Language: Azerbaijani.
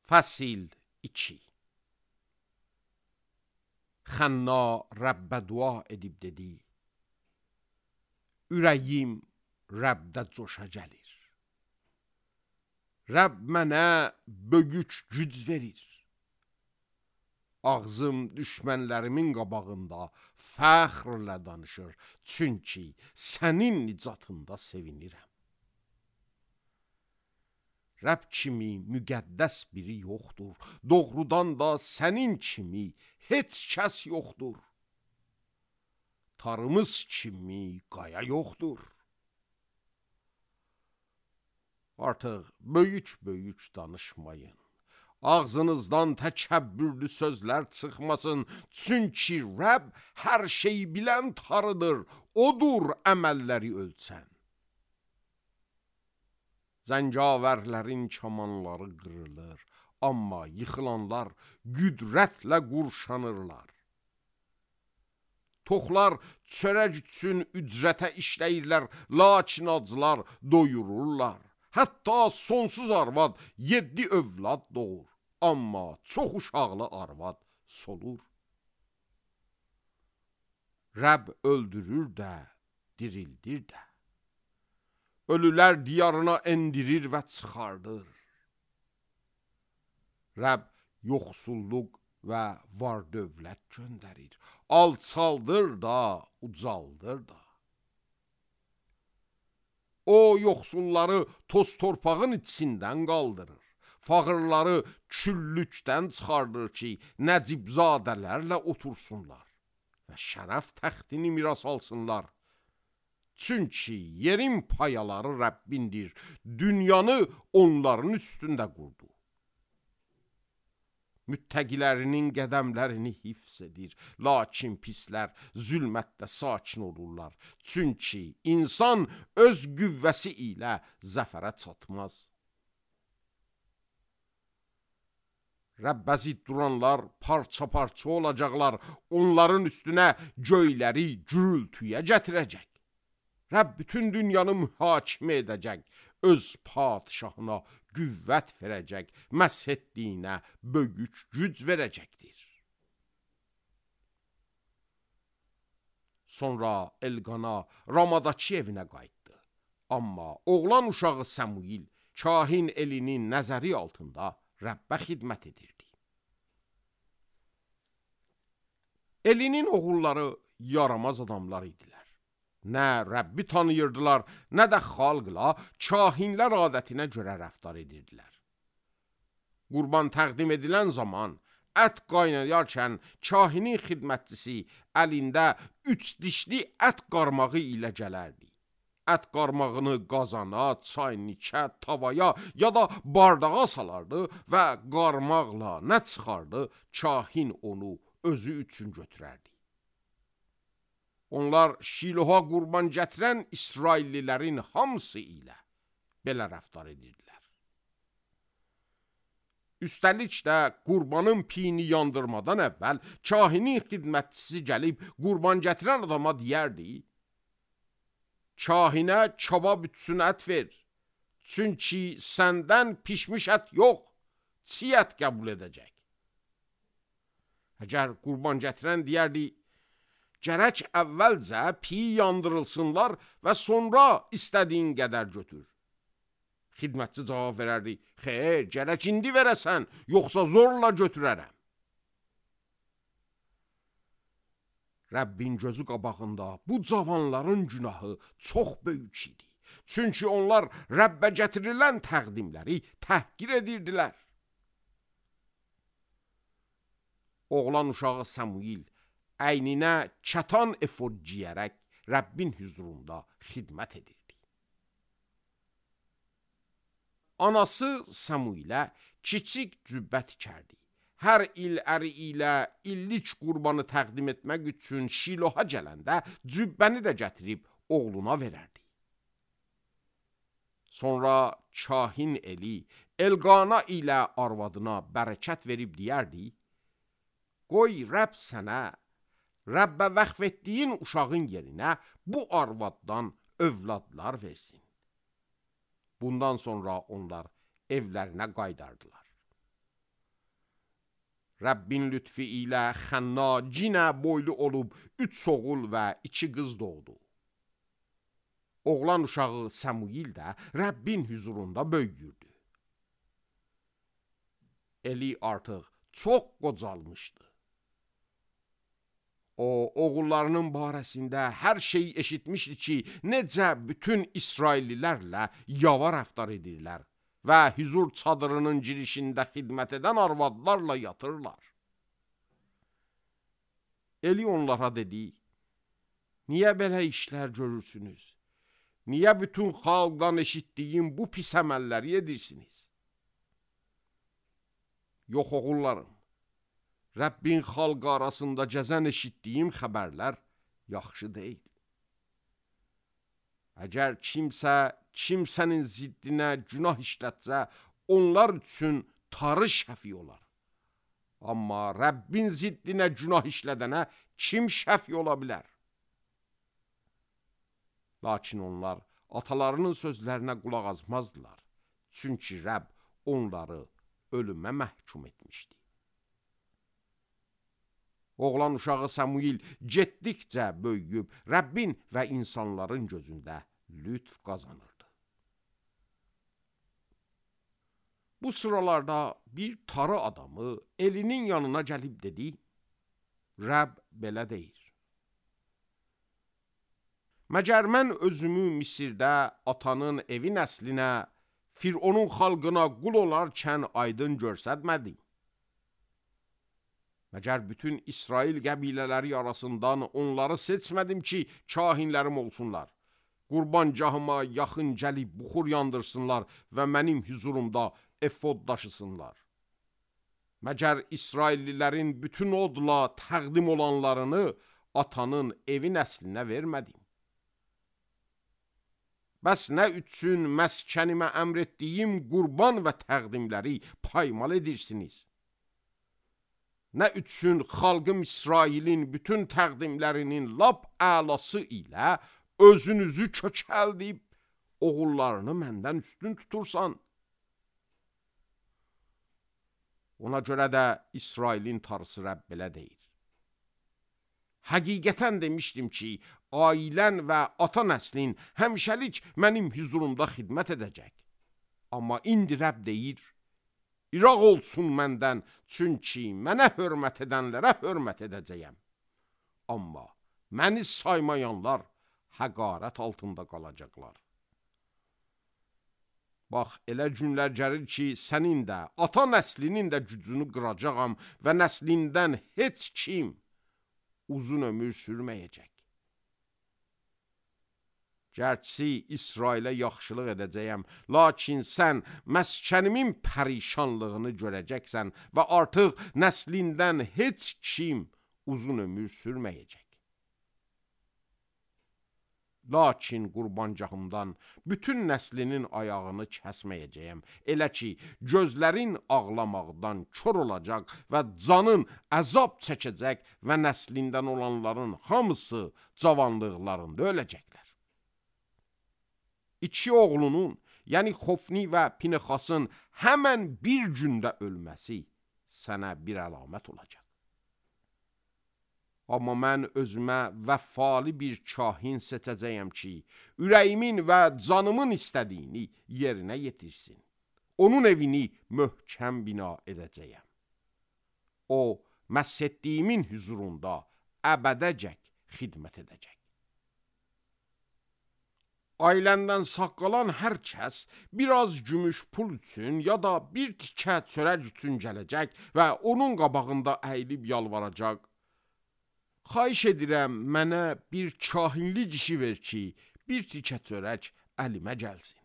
Fəsil 2. Xənna Rəbbə dua edib dedi: Ürəyim Rəbdə coşa gəlir. Rəbb mənə bögüc güc verir. Ağzım düşmənlərimin qabağında fəxrlə danışır, çünki sənin nicatında sevinirəm. Rəbb kimi müqəddəs biri yoxdur, doğrudan da sənin kimi heç kəs yoxdur. Tarımız kimi qaya yoxdur. Artıq böyük danışmayın. Ağzınızdan təkəbbürlü sözlər çıxmasın, çünki Rəbb hər şeyi bilən Tanrıdır, odur əməlləri ölçən. Zəngavərlərin kamanları qırılır, amma yıxılanlar qüdrətlə qurşanırlar. Toxlar çörək üçün ücrətə işləyirlər, lakin acılar doyururlar. Hətta sonsuz arvad 7 övlad doğur, amma çox uşaqlı arvad solur. Rəbb öldürür də, dirildir də. Ölülər diyarına endirir və çıxardır. Rəbb yoxsulluq və var dövlət göndərir. Alçaldır da, ucaldır da. O yoxsulları toz torpağın içindən qaldırır. Fağırları küllükdən çıxardır ki, nəcibzadələrlə otursunlar və şərəf təxtini miras alsınlar. Çünki yerin payaları Rəbbindir, dünyanı onların üstündə qurdu. Müttəqilərinin qədəmlərini hifz edir, lakin pislər zülmətdə sakin olurlar. Çünki insan öz qüvvəsi ilə zəfərə çatmaz. Rəbbə zid duranlar parça-parça olacaqlar, onların üstünə göyləri gürültüyə gətirəcək. Rəbb bütün dünyanı mühakimə edəcək, öz padişahına qüvvət verəcək, məsh etdiyinə böyük güc verəcəkdir. Sonra Elqana Ramadakı evinə qayıtdı. Amma oğlan uşağı Səmuil, kahin Elinin nəzəri altında Rəbbə xidmət edirdi. Elinin oğulları yaramaz adamlar idilər. Nə Rəbbi tanıyırdılar, nə də xalqla kahinlər adətinə görə rəftar edirdilər. Qurban təqdim edilən zaman ət qaynayarkən kahinin xidmətçisi əlində 3 dişli ət qarmağı ilə gələrdi. Ət qarmağını qazana, çaynikə, tavaya ya da bardağa salardı və qarmaqla nə çıxardı, kahin onu özü üçün götürərdi. Onlar Şiloha qurban gətirən İsraillilərin hamısı ilə belə rəftar edirdilər. Üstəlik də qurbanın piyini yandırmadan əvvəl kahinin xidmətçisi gəlib qurban gətirən adama deyərdi: Kahinə kabab üçün ət ver, çünki səndən pişmiş ət yox, çiğ ət qəbul edəcək. Əgər qurban gətirən deyərdi: Gərək əvvəlcə piy yandırılsınlar və sonra istədiyin qədər götür. Xidmətçi cavab verərdi: Xeyr, gərək indi verəsən, yoxsa zorla götürərəm. Rəbbin gözü qabağında bu cavanların günahı çox böyük idi. Çünki onlar Rəbbə gətirilən təqdimləri təhqir edirdilər. Oğlan uşağı Səmuil əyninə kətan efod giyərək Rəbbin hüzurunda xidmət edirdi. Anası Səmuilə kiçik cübbə tikərdi. Hər il əri ilə illik qurbanı təqdim etmək üçün Şiloha gələndə cübbəni də gətirib oğluna verərdi. Sonra kahin Eli Elqana ilə arvadına bərəkət verib deyərdi: Qoy Rəbb sənə Rəbbə vəqf etdiyin uşağın yerinə bu arvaddan övladlar versin. Bundan sonra onlar evlərinə qaydardılar. Rəbbin lütfi ilə Xənna cinə boylu olub 3 oğul və 2 qız doğdu. Oğlan uşağı Səmuil də Rəbbin hüzurunda böyüyürdü. Eli artıq çox qocalmışdı. O, oğullarının barəsində hər şeyi eşitmişdi ki, necə bütün İsraillilərlə yava rəftar edirlər və hüzur çadırının girişində xidmət edən arvadlarla yatırlar. Eli onlara dedi, niyə belə işlər görürsünüz? Niyə bütün xalqdan eşitdiyim bu pis əməlləri edirsiniz? Yox oğullarım, Rəbbin xalqı arasında gəzən eşitdiyim xəbərlər yaxşı deyil. Əgər kimsənin ziddinə günah işlətsə, onlar üçün tarı şəfi olar. Amma Rəbbin ziddinə günah işlədənə kim şəfi ola bilər? Lakin onlar atalarının sözlərinə qulaq asmazdılar. Çünki Rəbb onları ölümə məhkum etmişdi. Oğlan uşağı Səmuil getdikcə böyüyüb Rəbbin və insanların gözündə lütf qazanırdı. Bu sıralarda bir tarı adamı Elinin yanına gəlib dedi, Rəbb belə deyir. Məgər mən özümü Misirdə atanın evi nəslinə, Fironun xalqına qul olarkən aydın görsətmədim. Məgər bütün İsrail qəbilələri arasından onları seçmədim ki, kahinlərim olsunlar. Qurbancahıma yaxın gəlib buxur yandırsınlar və mənim hüzurumda efod daşısınlar. Məgər İsraillilərin bütün odla təqdim olanlarını atanın evi nəslinə vermədim. Bəs nə üçün məskənimə əmr etdiyim qurban və təqdimləri paymal edirsiniz? Nə üçün xalqım İsrailin bütün təqdimlərinin lap əlası ilə özünüzü kökəldib, oğullarını məndən üstün tutursan? Ona görə də İsrailin tarısı Rəbb belə deyir. Həqiqətən demişdim ki, ailən və ata nəslin həmişəlik mənim hüzurumda xidmət edəcək. Amma indi Rəbb deyir, İraq olsun məndən, çünki mənə hörmət edənlərə hörmət edəcəyəm. Amma məni saymayanlar həqarət altında qalacaqlar. Bax, elə günlər gəlir ki, sənin də, ata nəslinin də gücünü qıracağam və nəslindən heç kim uzun ömür sürməyəcək. Gərçi İsrailə yaxşılıq edəcəyəm, lakin sən məskənimin pərişanlığını görəcəksən və artıq nəslindən heç kim uzun ömür sürməyəcək. Lakin qurbancahımdan bütün nəslinin ayağını kəsməyəcəyəm. Elə ki, gözlərin ağlamaqdan kör olacaq və canın əzab çəkəcək və nəslindən olanların hamısı cavanlıqlarında öləcəklər. 2 oğlunun, yəni Xofni və Pinexasın həmən bir gündə ölməsi sənə bir əlamət olacaq. Amma mən özümə vəfalı bir kahin seçəcəyəm ki, ürəyimin və canımın istədiyini yerinə yetirsin. Onun evini möhkəm bina edəcəyəm. O, məshetdiyimin hüzurunda əbədəcək xidmət edəcək. Ailəndən sağ qalan hər kəs biraz gümüş pul üçün ya da bir tikə çörək üçün gələcək və onun qabağında əyilib yalvaracaq. Xahiş edirəm, mənə bir kahinlik işi ver ki, bir tikə çörək əlimə gəlsin.